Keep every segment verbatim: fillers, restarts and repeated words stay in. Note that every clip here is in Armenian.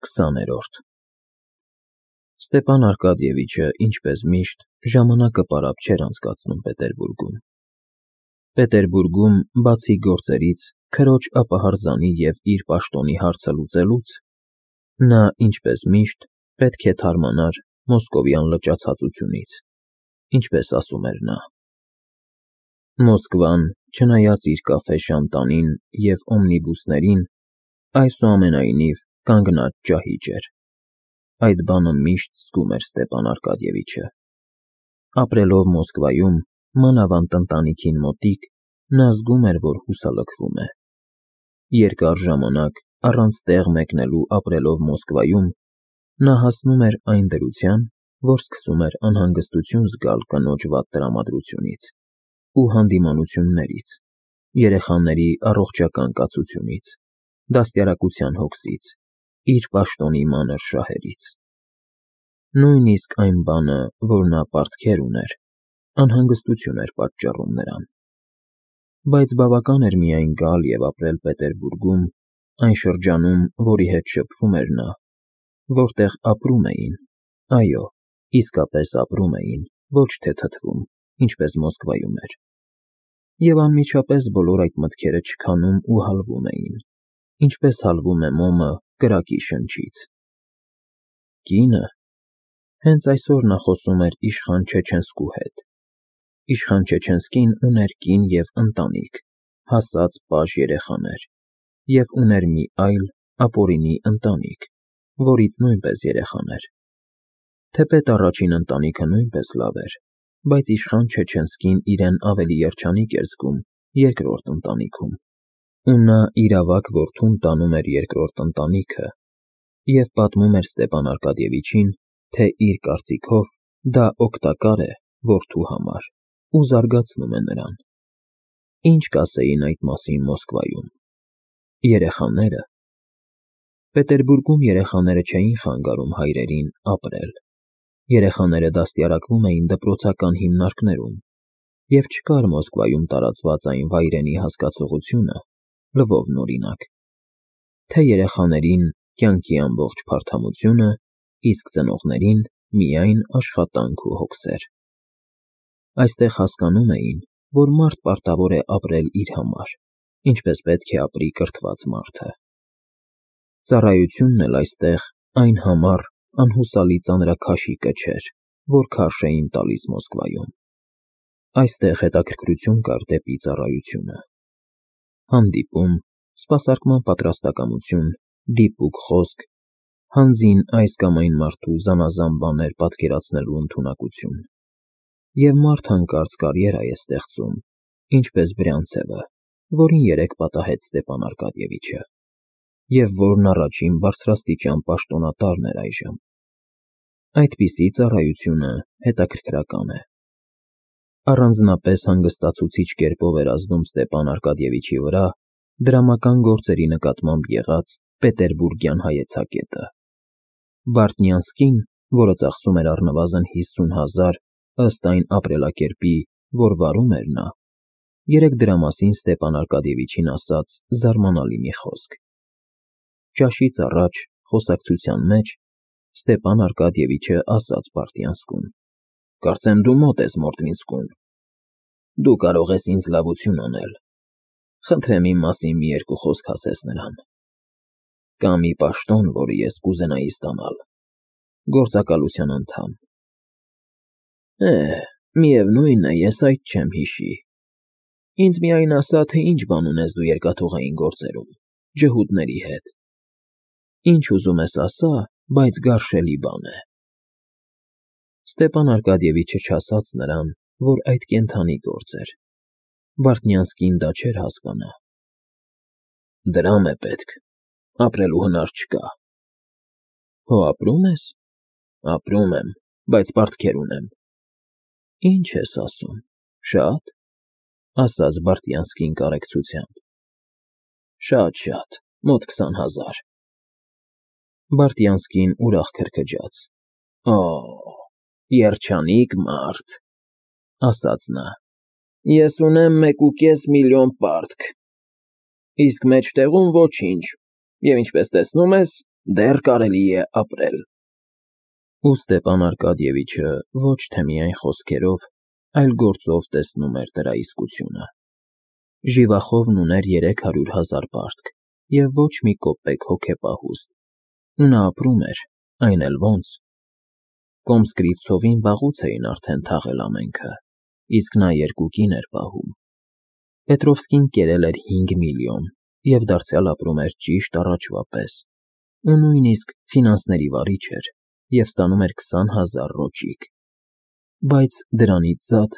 քսաներորդ Ստեպան Արկադիևիչը, ինչպես միշտ, ժամանակը պարապ չէր անցկացնում Պետերբուրգում։ Պետերբուրգում, բացի գործերից, քրոջ ապահարզանի և իր պաշտոնի հարցը լուծելուց, նա, ինչպես միշտ, պետք է թարմանար մոսկովյան լճացածությունից, ինչպես ասում էր նա։ Մոսկվան, չնայած իր կաֆե Շանտանին և օմնիբուսներին, այսուամենայնիվ կանգնած ճահիճ էր։ Այդ բանը միշտ զգում էր Ստեպան Արկադիևիչը։ Ապրելով Մոսկվայում, մանավանդ ընտանիքին մոտիկ, նա զգում էր, որ հուսալքվում է։ Երկար ժամանակ, առանց տեղ մեկնելու ապրելով Մոսկվայում, նա հասնում էր այն դրության, որ սկսում էր անհանգստություն զգալ կնոջ վատ տրամադրությունից ու հանդիմանություններից, երեխաների առողջական կացությունից, դաստիարակության հոգսից, իր պաշտոնի մանր շահերից։ Նույնիսկ այն բանը, որ նա պարտքեր ուներ, անհանգստություն էր պատճառում նրան։ Բայց բավական էր միայն գալ և ապրել Պետերբուրգում, այն շրջանում, որի հետ շփվում էր նա, որտեղ ապրում էին, այո, իսկապես ապրում էին, ոչ թե թթվում, ինչպես Մոսկվայում էր։ Եվ անմիջապես բոլոր այդ մտքերը չքանում ու հալվում էին, ինչպես հալվում է մոմը կրակի շնչից։ Կինը… Հենց այսօր նա խոսում էր իշխան Չեչենսկու հետ։ Իշխան Չեչենսկին ուներ կին և ընտանիք, հասած պաժ երեխաներ, և ուներ մի այլ, ապօրինի ընտանիք, որից նույնպես երեխաներ։ Թեպետ առաջին ընտանիքը նույնպես լավ էր, բայց իշխան Չեչենսկին իրեն ավելի երջանիկ էր զգում երկրորդ ընտանիքում, ու նա իր ավագ որդուն տանում էր երկրորդ ընտանիքը և պատմում էր Ստեպան Արկադիևիչին, թե իր կարծիքով դա օգտակար է որդու համար ու զարգացնում է նրան։ Ինչ կասեին այդ մասին Մոսկվայում… Երեխաները… Պետերբուրգում երեխաները չէին խանգարում հայրերին ապրել։ Երեխաները դաստիարակվում էին դպրոցական հիմնարկներում, և չկար Մոսկվայում տարածված այն վայրենի հասկացողությունը, լվովն օրինակ, թե երեխաներին կյանքի ամբողջ փարթամությունը, իսկ ծնողներին միայն աշխատանք ու հոգսեր։ Այստեղ հասկանում էին, որ մարդ պարտավոր է ապրել իր համար, ինչպես պետք է ապրի կրթված մարդը։ Ծառայությունն էլ այստեղ այն համառ, անհուսալի ծանրաքաշիկը չէր, որ քարշ էին տալիս Մոսկվայում։ Այստեղ հետաքրքրություն կար դեպի ծառայությունը։ Հանդիպում, սպասարկման պատրաստակամություն, դիպուկ խոսք, հանձին այս կամ այն մարդու զանազան բաներ պատկերացնելու ընդունակություն։ Եվ մարդ հանկարծ կարիերա է ստեղծում, ինչպես Բրյանցևը, որին երեկ պատահեց Ստեպան Արկադիևիչը, և որն առաջին բարձրաստիճան պաշտոնատարն էր այժմ։ Այդպիսի ծառայությունը հետաքրքրական է։ Առանձնապես հանգստացուցիչ կերպով էր ազդում Ստեպան Արկադիևիչի վրա դրամական գործերի նկատմամբ եղած պետերբուրգյան հայեցակետը։ Բարտնյանսկին, որը ծախսում էր առնվազն հիսուն հազար, ըստ այն ապրելակերպի, որ վարում էր նա, երեկ դրա մասին Ստեպան Արկադիևիչին ասաց զարմանալի մի խոսք։ Ճաշից առաջ, խոսակցության մեջ, Ստեպան Արկադիևիչը ասաց Բարտնյանսկուն. «Կարծեմ դու մոտ ես Մորթվինսկուն։ Դու կարող ես ինձ լավություն անել։ Խնդրեմ իմ մասին մի երկու խոսք ասես նրան։ Կա մի պաշտոն, որը ես կուզենայի ստանալ, գործակալության անդամ։ Է, միևնույն է, ես այդ չեմ հիշի։ Ինձ միայն ասա, թե ինչ բան ունես դու երկաթուղային գործերում, ջհուդների հետ։ Ինչ ուզում ես ասա, բայց գարշելի բան է»։ Ստեպան Արկադիևիչը չասաց նրան, որ այդ կենդանի գործ էր։ Բարտնյանսկին դա չէր հասկանա։ «Դրամ է պետք, ապրելու հնար չկա»։ Հո ապրում ես։ Ապրում եմ, բայց պարտքեր ունեմ։ Ինչ ես ասում, շա՞տ, ասաց Բարտնյանսկին կարեկցությամբ։ Շատ֊շատ, մոտ քսան հազար։ Բարտնյանսկին ուրախ քրքջաց։ Օ, երջանիկ մարդ, ասաց նա։ Ես ունեմ մեկ ու կես միլիոն պարտք, իսկ մեջտեղում ոչինչ, և ինչպես տեսնում ես, դեռ կարելի է ապրել։ Ու Ստեպան Արկադիևիչը ոչ թե միայն խոսքերով, այլ գործով տեսնում էր դրա իսկությունը։ Ժիվախովն ուներ երեք հարյուր հազար պարտք և ոչ մի կոպեկ հոգեպահուստ, ու նա ապրում էր, այն էլ ոնց։ Կոմս֊Կրիվցովին վաղուց էին արդեն թաղել ամենքը, իսկ նա երկու կին էր պահում։ Պետրովսկին կերել էր հինգ միլիոն և դարձյալ ապրում էր ճիշտ առաջվա պես, ու նույնիսկ ֆինանսների վարիչ էր և ստանում էր քսան հազար ռոճիկ։ Բայց դրանից զատ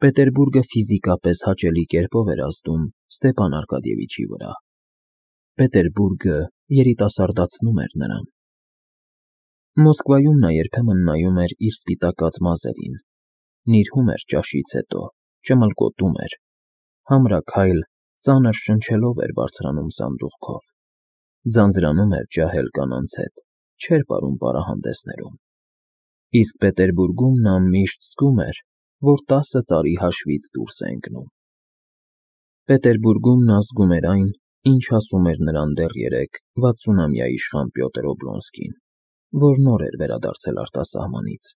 Պետերբուրգը ֆիզիկապես հաճելի կերպով էր ազդում Ստեպան Արկադիևիչի վրա։ Պետերբուրգը երիտասարդացնում էր նրան։ Մոսկվայում նա երբեմն նայում էր իր սպիտակած մազերին, նիրհում էր ճաշից հետո, ճմլկոտում էր, համրաքայլ, ծանր շնչելով էր բարձրանում սանդուղքով, ձանձրանում էր ջահել կանանց հետ, չէր պարում պարահանդեսներում։ Իսկ Պետերբուրգում նա միշտ զգում էր, որ տասը տարի հաշվից դուրս է ընկնում։ Պետերբուրգում նա զգում էր այն, ինչ ասում էր նրան դեռ երեկ վաթսունամյա իշխան Պյոտր Օբլոնսկին, որ նոր էր վերադարձել արտասահմանից։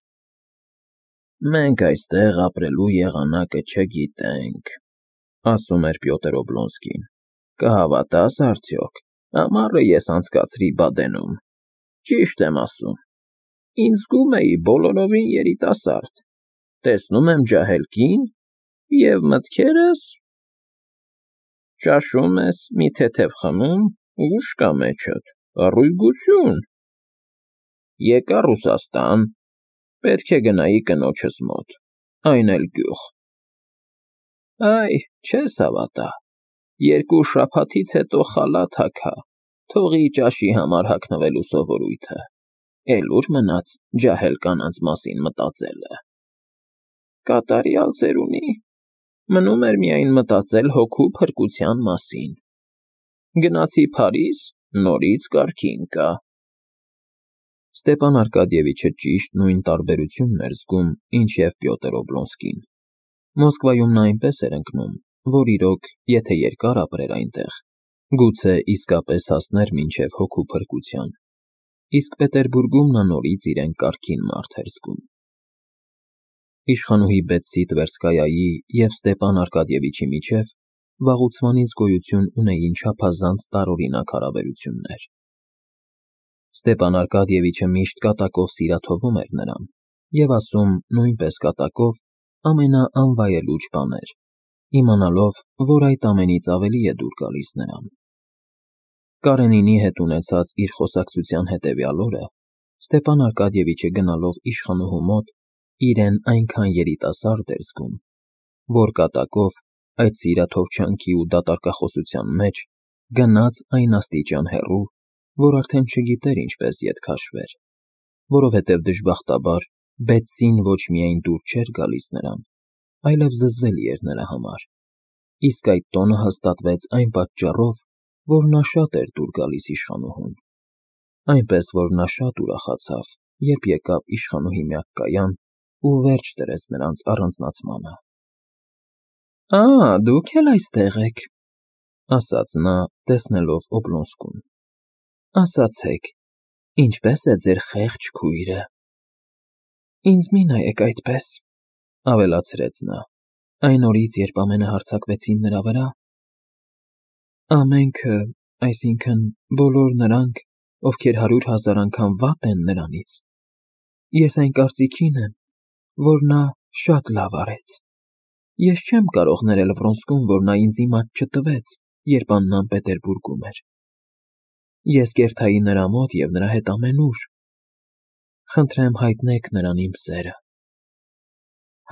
«Մենք այստեղ ապրելու եղանակը չգիտենք», ասում էր Պյոտր Օբլոնսկին։ «Կհավատա՞ս արդյոք, ամառը ես անցկացրի Բադենում։ Ճիշտ եմ ասում, ինձ զգում էի բոլորովին երիտասարդ, տեսնում եմ ջահել կին, և մտքերս… Ճաշում ես, մի թեթև խմում, ուշ կա մեջդ, առույգություն… Եկա Ռուսաստան, պետք է գնայի կնոջս մոտ, այն էլ գյուղ… Այ, չես հավատա, երկու շաբաթից հետո խալաթ հագա, թողի ճաշի համար հագնվելու սովորույթը, էլ ուր մնաց ջահել կանանց մասին մտածելը… Կատարյալ ծերունի, մնում էր միայն մտածել հոգու փրկության մասին… Գնացի Փարիզ, նորից կարգին կա»։ Ստեպան Արկադիևիչը ճիշտ նույն տարբերությունն էր զգում, ինչ և Պյոտր Օբլոնսկին։ Մոսկվայում նա այնպես էր ընկնում, որ իրոք, եթե երկար ապրեր այնտեղ, գուցե իսկապես հասներ մինչև հոգու փրկության, իսկ Պետերբուրգում նա նորից իրեն կարգին մարդ էր զգում։ Իշխանուհի Բետսի Տվերսկայայի և Ստեպան Արկադիևիչի միջև վաղուցվանից գոյություն ունեին չափազանց տարօրինակ հարաբերություններ։ Ստեպան Արկադիևիչը միշտ կատակով սիրաթովում էր նրան և ասում նույնպես կատակով ամենաանվայելուչ բաներ, իմանալով, որ այդ ամենից ավելի է դուր գալիս նրան։ Կարենինի հետ ունեցած իր խոսակցության հետևյալ օրը Ստեպան Արկադիևիչը գնալով իշխանուհու մոտ իրեն այնքան երիտասարդ էր զգում, որ կատակով, այդ սիրաթովչանքի ու դատարկախոսության մեջ, գնաց այն աստիճան հեռու, որ արդեն չգիտեր ինչպես ետ քաշվեր, որովհետև դժբախտաբար Բետսին ոչ միայն դուր չէր գալիս նրան, այլև զզվելի էր նրա համար, իսկ այդ տոնը հաստատվեց այն պատճառով, որ նա շատ էր դուր գալիս իշխանուհուն, այնպես որ նա շատ ուրախացավ, երբ եկավ իշխանուհի միակ կայան ու վերջ դրեց նրանց առանձնացմանը։ «Ա, դուք էլ այստեղ եք», ասաց նա, տեսնելով Օբլոնսկուն։ «Ասացեք, ինչպե՞ս է ձեր խեղճ քույրը»։ «Ինձ մի նայեք այդպես», ավելացրեց նա, այն օրից, երբ ամենը հարձակվեցին նրա վրա, ամենքը, այսինքն՝ բոլոր նրանք, ովքեր հարյուր հազար անգամ վատ են նրանից, ես այն կարծիքին եմ, որ նա շատ լավ արեց։ Ես չեմ կարող ներել Վրոնսկուն, որ նա ինձ իմաց չտվեց, երբ Աննան Պետերբուրգում էր։ Ես կերթայի նրա մոտ և նրա հետ ամենուր։ Խնդրեմ հայտնեք նրան իմ սերը։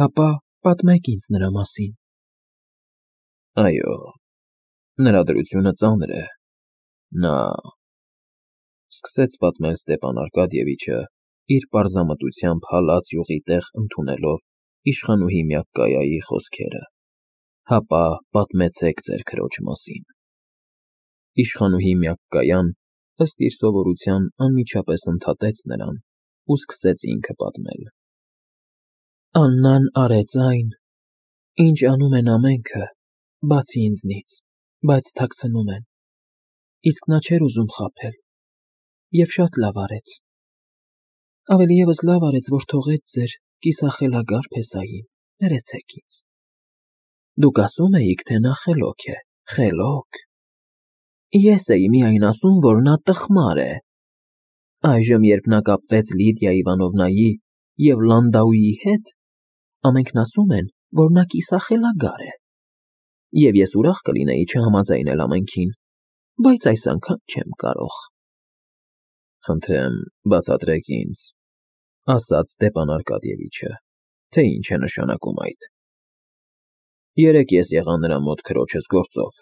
Հապա պատմեք ինձ նրա մասին»։ Այո, նրա դրությունը ծանր է, նա… Սկսեց պատմել Ստեպան Արկադիևիչը, իր պարզամտությամբ հալած յուղի տեղ ընդունելով իշխանուհի Մյակկայայի խոսքերը։ «Հապա պատմեցեք ձեր քրոջ մասին»։ Իշխանուհի Մյակկայան, ըստ իր սովորության, անմիջապես ընդհատեց նրան ու սկսեց ինքը պատմել։ «Աննան արեց այն, ինչ անում են ամենքը, բացի ինձնից, բայց թաքցնում են, իսկ նա չէր ուզում խաբել։ Եվ շատ լավ արեց։ Ավելի ևս լավ արեց, որ թողեց ձեր կիսախելագար փեսային, ներեցեք ինձ։ Դուք ասում էիք, թե նա խելոք է, խելոք։ Ես էի միայն ասում, որ նա տխմար է։ Այժմ, երբ նա կապվեց Լիդիա Իվանովնայի և Լանդաուի հետ, ամենքն ասում են, որ նա կիսախելագար է։ Եվ ես ուրախ կլինեի չհամաձայնել ամենքին, բայց այս անգամ չեմ կարող։ Խնդրեմ, բացատրեք ինձ, ասաց Ստեփան Արկադիևիչը, թե ինչ է նշանակում այդ։ Երեկ ես եղա նրա մոտ քրոջս գործով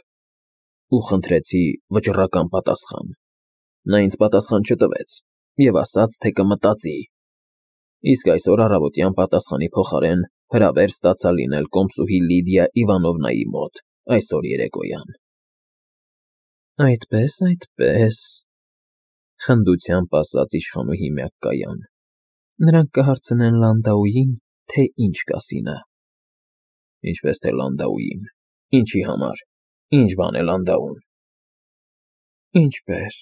ու խնդրեցի վճռական պատասխան։ Նա ինձ պատասխան չտվեց և ասաց, թե կմտածի։ Իսկ այսօր առավոտյան պատասխանի փոխարեն հրավեր ստացա լինել կոմսուհի Լիդիա Իվանովնայի մոտ այսօր երեկոյան։ Այդպես, այդպես, խնդությամբ ասաց իշխանուհի Մյակկայան։ Նրանք կհարցնեն Լանդաուին, թե ինչ կասի նա։ Ինչպես թե Լանդաուին, ինչի համար, ինչ բան է Լանդաուն։ Ինչպես,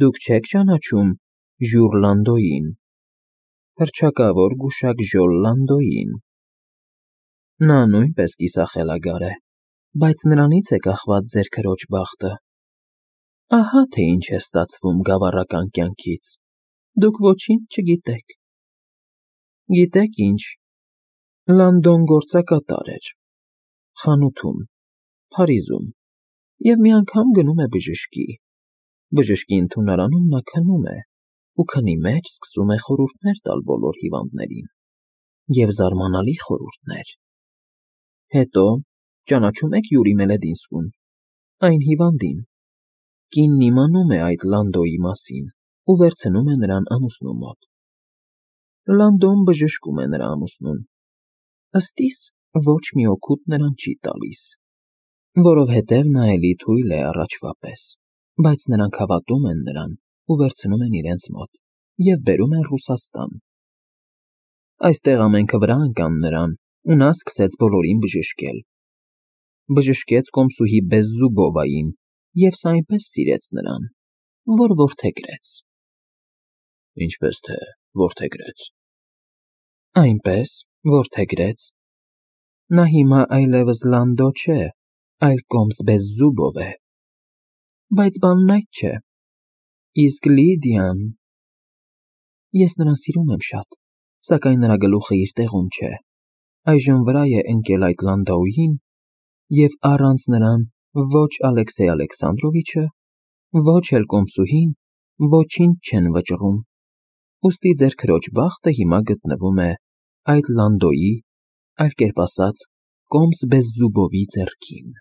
դուք չեք ճանաչում Ժյուր Լանդոյին, հռչակավոր գուշակ Ժոլ Լանդոյին։ Նա նույնպես կիսախելագար է, բայց նրանից է կախված ձեր քրոջ բախտը։ Ահա թե ինչ է ստացվում գավառական կյանքից, դուք ոչինչ չգիտեք։ Գիտեք ինչ, Լանդոն գործակատար էր, խանութում, Փարիզում, և մի անգամ գնում է բժշկի։ Բժշկի ընդունարանում նա քնում է, ու քնի մեջ սկսում է խորհուրդներ տալ բոլոր հիվանդներին, և զարմանալի խորհուրդներ։ Հետո, ճանաչում եք Յուրի Մելեդինսկուն, այն հիվանդին։ Կինն իմանում է այդ Լանդոյի մասին ու վերցնում է նրան ամուսնու մոտ։ Լանդոն բժշկում է նրա ամուսնուն, ըստ իս ոչ մի օգուտ նրան չի տալիս, որովհետև նա էլի թույլ է առաջվա պես, բայց նրանք հավատում են նրան ու վերցնում են իրենց մոտ և բերում են Ռուսաստան։ Այստեղ ամենքը վրա ընկան նրան, ու նա սկսեց բոլորին բժշկել։ Բժշկեց կոմսուհի Բեզզուբովային, և սա այնպես սիրեց նրան, որ որդեգրեց։ Ինչպես թե որդեգրեց։ Այնպես, որդեգրեց։ Նա հիմա այլևս Լանդո չէ, այլ կոմս Բեզզուբով է։ Բայց բանն այդ չէ։ Իսկ Լիդիան… Ես նրան սիրում եմ շատ, սակայն նրա գլուխը իր տեղում չէ։ Այժմ վրա է ընկել այդ Լանդաուին, և առանց նրան ոչ Ալեքսեյ Ալեքսանդրովիչը, ոչ էլ կոմսուհին ոչինչ չեն վճռում, ուստի ձեր քրոջ բախտը հիմա գտնվում է այդ Լանդոյի, այլ կերպ ասած, կոմս Բեզզուբովի ձեռքին։